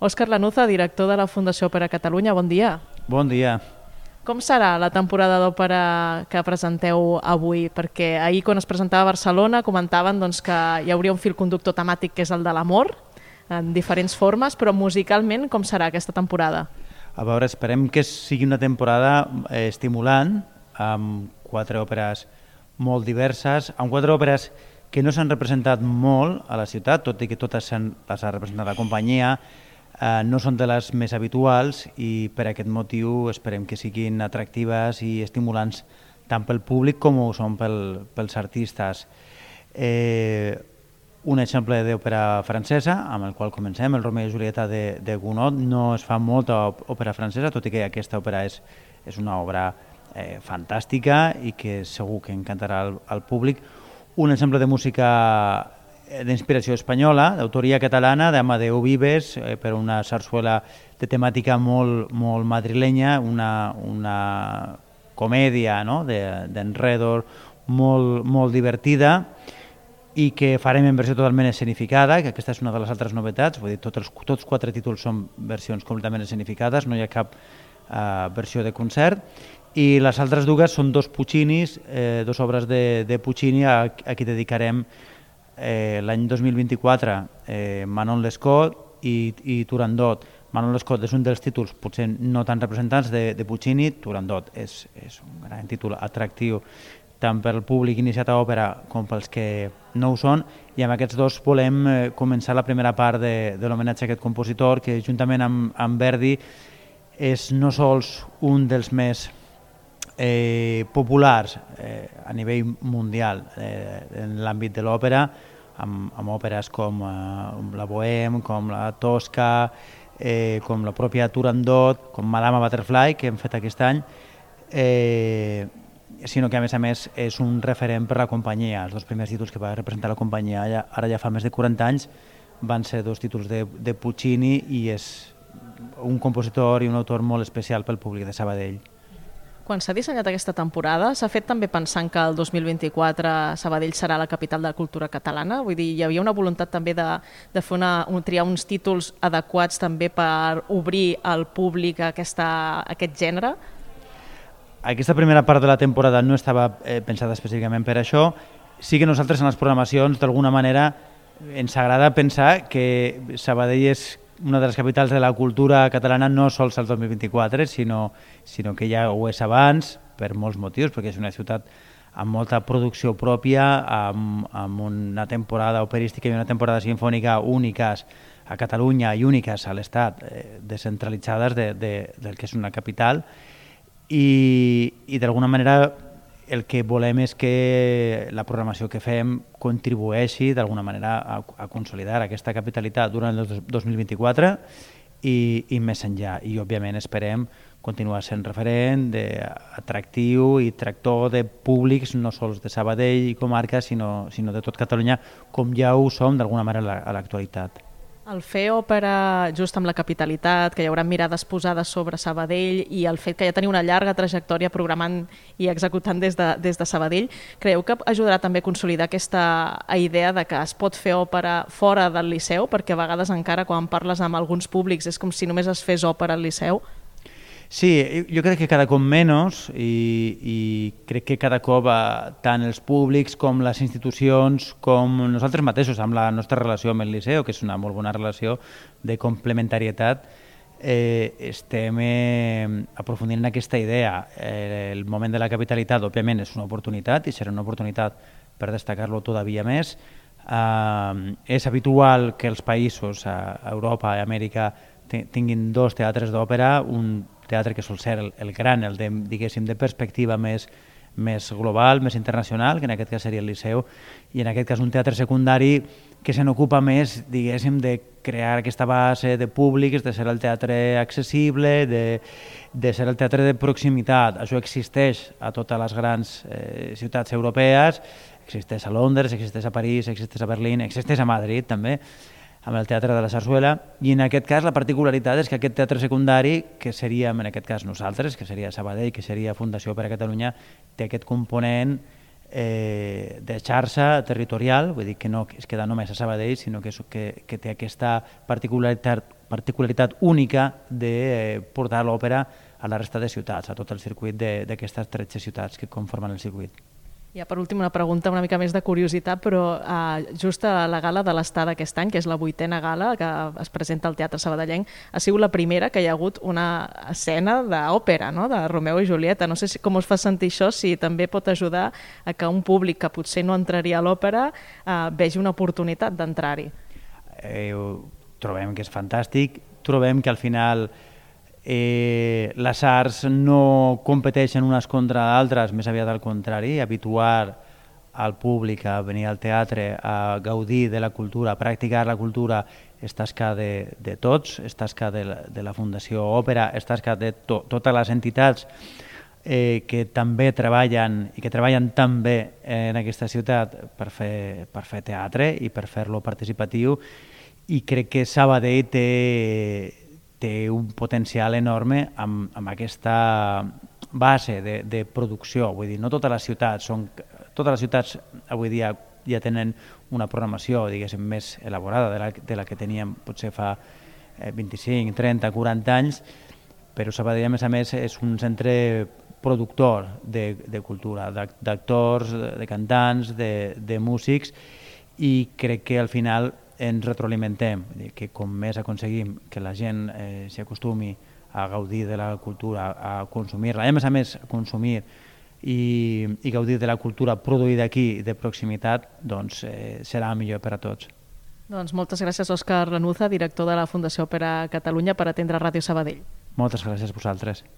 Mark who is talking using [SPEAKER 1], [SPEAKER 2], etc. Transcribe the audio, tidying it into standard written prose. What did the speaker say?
[SPEAKER 1] Òscar Lanuza, director de la Fundació Òpera Catalunya, bon dia.
[SPEAKER 2] Bon dia.
[SPEAKER 1] Com serà la temporada d'òpera que presenteu avui? Perquè ahir, quan es presentava a Barcelona, comentaven que hi hauria un fil conductor temàtic que és el de l'amor, en diferents formes, però musicalment com serà aquesta temporada?
[SPEAKER 2] A veure, esperem que sigui una temporada estimulant, amb 4 òperes molt diverses, amb 4 òperes que no s'han representat molt a la ciutat, tot i que totes les ha representat la companyia, no són de les més habituals i per aquest motiu esperem que siguin atractives i estimulants tant pel públic com ho són pels artistes. Un exemple d'òpera francesa, amb el qual comencem, el Romeo i Julieta de Gounod. No es fa molta òpera francesa, tot i que aquesta òpera és una obra fantàstica i que segur que encantarà al públic. Un exemple de música d'inspiració espanyola, d'autoria catalana, d'Amadeu Vives, per una sarsuela de temàtica molt madrilenya, una comèdia d'enredo molt divertida i que farem en versió totalment escenificada, que aquesta és una de les altres novetats, vull dir, tots 4 títols són versions completament escenificades, no hi ha cap versió de concert, i les altres dues són 2 Puccinis, 2 obres de Puccini a qui dedicarem l'any 2024, Manon Lescaut i Turandot. Manon Lescaut és un dels títols potser no tan representants de Puccini. Turandot és un gran títol atractiu tant pel públic iniciat a òpera com pels que no ho són, i amb aquests 2 volem començar la primera part de l'homenatge a aquest compositor, que juntament amb Verdi és no sols un dels més populars a nivell mundial en l'àmbit de l'òpera, amb òperes com la Bohème, com la Tosca, com la pròpia Turandot, com Madama Butterfly, que hem fet aquest any, sinó que a més és un referent per la companyia. Els 2 primers títols que va representar la companyia ara ja fa més de 40 anys van ser 2 títols de Puccini i és un compositor i un autor molt especial pel públic de Sabadell.
[SPEAKER 1] Quan s'ha dissenyat aquesta temporada, s'ha fet també pensant que el 2024 Sabadell serà la capital de la cultura catalana? Vull dir, hi havia una voluntat també de fer triar uns títols adequats també per obrir al públic a aquest gènere?
[SPEAKER 2] Aquesta primera part de la temporada no estava pensada específicament per això. Sí que nosaltres en les programacions, d'alguna manera, ens agrada pensar que Sabadell és una de les capitals de la cultura catalana no sols al 2024, sinó que ja ho és abans, per molts motius, perquè és una ciutat amb molta producció pròpia, amb una temporada operística i una temporada sinfònica úniques a Catalunya i úniques a l'Estat, descentralitzades del que és una capital, i d'alguna manera el que volem és que la programació que fem contribueixi d'alguna manera a consolidar aquesta capitalitat durant el 2024 i més enllà. I òbviament esperem continuar sent referent atractiu i tractor de públics no sols de Sabadell i comarca, sinó de tot Catalunya, com ja ho som d'alguna manera a l'actualitat.
[SPEAKER 1] El fer òpera just amb la capitalitat, que hi haurà mirades posades sobre Sabadell, i el fet que ja teniu una llarga trajectòria programant i executant des de Sabadell, creieu que ajudarà també a consolidar aquesta idea de que es pot fer òpera fora del Liceu? Perquè a vegades encara quan parles amb alguns públics és com si només es fes òpera al Liceu.
[SPEAKER 2] Sí, jo crec que cada cop menys i crec que cada cop tant els públics com les institucions com nosaltres mateixos amb la nostra relació amb el Liceu, que és una molt bona relació de complementarietat, estem aprofundint en aquesta idea. El moment de la capitalitat òbviament és una oportunitat i serà una oportunitat per destacar-lo todavía més. És habitual que els països a Europa i Amèrica tinguin 2 teatres d'òpera, un teatre que sol ser el gran, el de perspectiva més global, més internacional, que en aquest cas seria el Liceu, i en aquest cas un teatre secundari que se n'ocupa més, diguéssim, de crear aquesta base de públics, de ser el teatre accessible, de ser el teatre de proximitat. Això existeix a totes les grans ciutats europees, existeix a Londres, existeix a París, existeix a Berlín, existeix a Madrid també, amb el Teatre de la Sarsuela, i en aquest cas la particularitat és que aquest teatre secundari, que seríem en aquest cas nosaltres, que seria Sabadell, que seria Fundació Òpera Catalunya, té aquest component de xarxa territorial, vull dir que no es queda només a Sabadell, sinó que té aquesta particularitat particularitat única de portar l'òpera a la resta de ciutats, a tot el circuit d'aquestes 13 ciutats que conformen el circuit.
[SPEAKER 1] Ja per últim una pregunta una mica més de curiositat, però just a la gala de l'Estada aquest any, que és la 8a gala que es presenta al Teatre Sabadellenc, ha sigut la primera que hi ha hagut una escena d'òpera, no? De Romeu i Julieta. No sé com us fa sentir això, si també pot ajudar a que un públic que potser no entraria a l'òpera vegi una oportunitat d'entrar-hi.
[SPEAKER 2] Trobem que és fantàstic, trobem que al final les arts no competeixen unes contra d'altres, més aviat al contrari, habituar al públic a venir al teatre, a gaudir de la cultura, a practicar la cultura, és tasca de tots, és tasca de la Fundació Òpera, és tasca de totes les entitats que també treballen i que treballen també en aquesta ciutat per fer teatre i per fer-lo participatiu, i crec que Sabadell té un potencial enorme amb aquesta base de producció. Vull dir, no totes les ciutats avui dia ja tenen una programació, diguéssim, més elaborada de la que teníem potser fa 25, 30, 40 anys, però Sabadell, a més, és un centre productor de cultura, d'actors, de cantants, de músics, i crec que al final ens retroalimentem, que com més aconseguim que la gent s'hi acostumi a gaudir de la cultura, a consumir-la, i a més consumir i gaudir de la cultura produïda aquí de proximitat, doncs serà millor per a tots.
[SPEAKER 1] Doncs moltes gràcies, Òscar Lanuza, director de la Fundació Òpera Catalunya, per atendre Ràdio Sabadell.
[SPEAKER 2] Moltes gràcies a vosaltres.